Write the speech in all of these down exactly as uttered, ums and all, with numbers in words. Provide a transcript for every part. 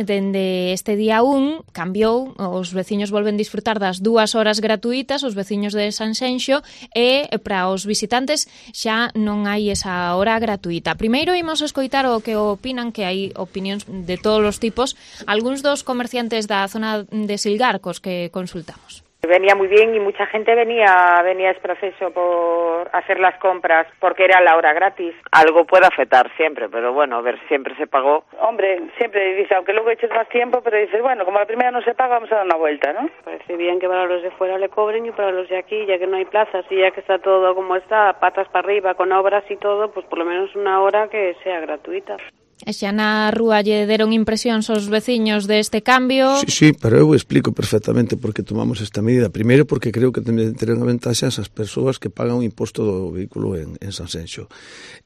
Dende este día un cambiou, os veciños volven disfrutar das dúas horas gratuitas, os veciños de Sanxenxo, e para os visitantes xa non hai esa hora gratuita. Primeiro imos escoitar o que opinan, que hai opinións de todos os tipos, algúns dos comerciantes da zona de Silgarcos que consultamos. Venía muy bien y mucha gente venía venía es proceso por hacer las compras porque era la hora gratis. Algo puede afectar siempre, pero bueno, a ver, siempre se pagó. Hombre, siempre dice, aunque luego eches más tiempo, pero dices, bueno, como la primera no se paga, vamos a dar una vuelta, ¿no? Parece bien que para los de fuera le cobren y para los de aquí, ya que no hay plazas y ya que está todo como está, patas para arriba, con obras y todo, pues por lo menos una hora que sea gratuita. E xa na rúa lle deron impresións aos veciños deste cambio? Sí, sí, pero eu explico perfectamente por que tomamos esta medida. Primeiro, porque creo que terán a ventaxa as persoas que pagan o imposto do vehículo en, en Sanxenxo.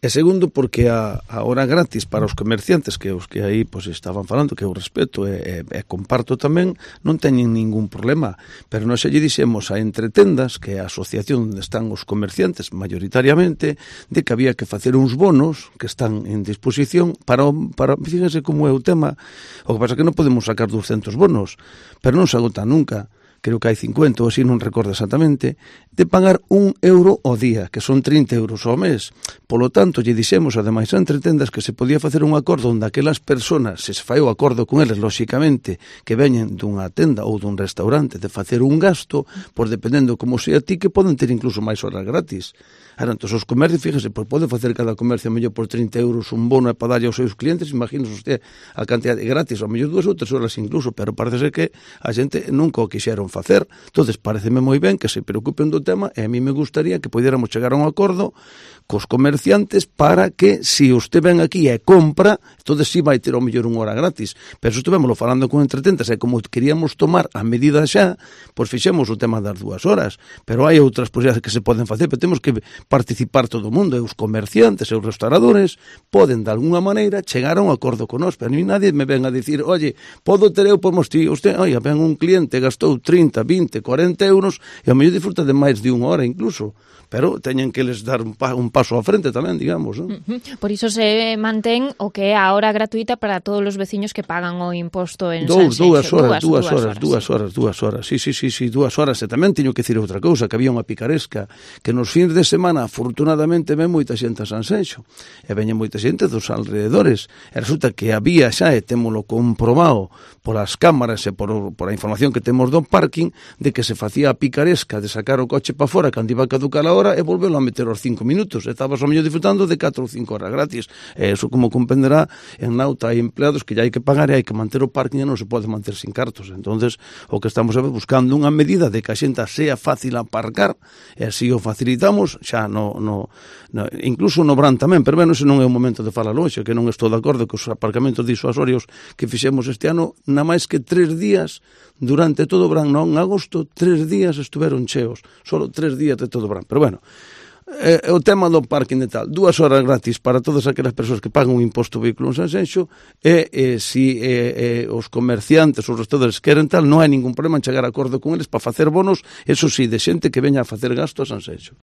E segundo, porque a, a hora gratis para os comerciantes, que os que aí pues, estaban falando, que eu respeto e, e, e comparto tamén, non teñen ningún problema. Pero nós xa lle dixemos a Entretendas, que é a asociación onde están os comerciantes mayoritariamente, de que había que facer uns bonos que están en disposición para para, fíjense como é o tema, o que pasa é que non podemos sacar doscentos bonos, pero non se agota nunca, creo que hai cincuenta ou así, non recordo exactamente, de pagar un euro ao día, que son trinta euros ao mes. Polo tanto, lle dixemos, ademais, a Entretendas que se podía facer un acordo onde aquelas personas, se se fai o acordo con eles, lóxicamente, que veñen dunha tenda ou dun restaurante, de facer un gasto, pois dependendo como sea ti, que poden ter incluso máis horas gratis. Ahora, entón, os comercios, fíjese, pois pode facer cada comercio mellor por trinta euros un bono para darlle aos seus clientes, imagínese usted a cantidad de gratis, ao mellor dúas ou tres horas incluso, pero parece ser que a xente nunca o quixeron facer. Entonces, pareceme moi ben que se preocupen do tema e a mí me gustaría que poidéramos chegar a un acordo cos comerciantes para que, se usted ven aquí e compra, entonces sí vai ter ao mellor unha hora gratis. Pero se estivemos falando con Entretendas e como queríamos tomar a medida xa, pois fixemos o tema das dúas horas. Pero hai outras posibilidades que se poden facer, pero temos que participar todo o mundo, e os comerciantes e os restauradores poden de alguna maneira chegar a un acordo con nós, pero a mí nadie me ven a dicir, oye, podo ter eu por mostrar, usted, oye, ven un cliente, gastou trinta, vinte, cuarenta euros e ao mellor disfruta de máis de unha hora incluso, pero teñen que les dar un, pa, un paso á frente tamén, digamos, ¿no? Uh-huh. Por iso se mantén o que é a hora gratuita para todos os veciños que pagan o imposto en Dous, Sanxenxo. Dúas horas, dúas, dúas horas, dúas horas, dúas horas, sí, sí, sí, sí, dúas horas. E tamén teño que dicir outra cousa, que había unha picaresca, que nos fins de semana, afortunadamente, ven moita xente a Sanxenxo, e veñen moita xente dos alrededores, e resulta que había xa, e témolo comprobado polas cámaras e por, por a información que temos do parking, de que se facía a picaresca de sacar o coche para fora cando iba a caducar a hora e volvelo a meter aos cinco minutos. Estabas ao mellor disfrutando de catro ou cinco horas gratis. E eso, como comprenderá, en Nauta hai empleados que ya hai que pagar e hai que manter o parking e non se pode manter sin cartos. Entonces, o que estamos buscando unha medida de que a xenta sea fácil aparcar, e así o facilitamos, xa no, no, no incluso no Bran tamén, pero bueno, ese non é o momento de falar hoxe, que non estou de acordo que os aparcamentos disuasorios que fixemos este ano, na máis que tres días durante todo o verán, non, en agosto, tres días estuveron cheos, solo tres días de todo o verán. Pero bueno, eh, o tema do parking e tal, dúas horas gratis para todas aquelas persoas que pagan un imposto vehículo en Sanxenxo, e eh, si eh, eh, os comerciantes, os restauradores queren tal, non hai ningún problema en chegar a acordo con eles para facer bonos, eso sí, de xente que veña a facer gasto a Sanxenxo.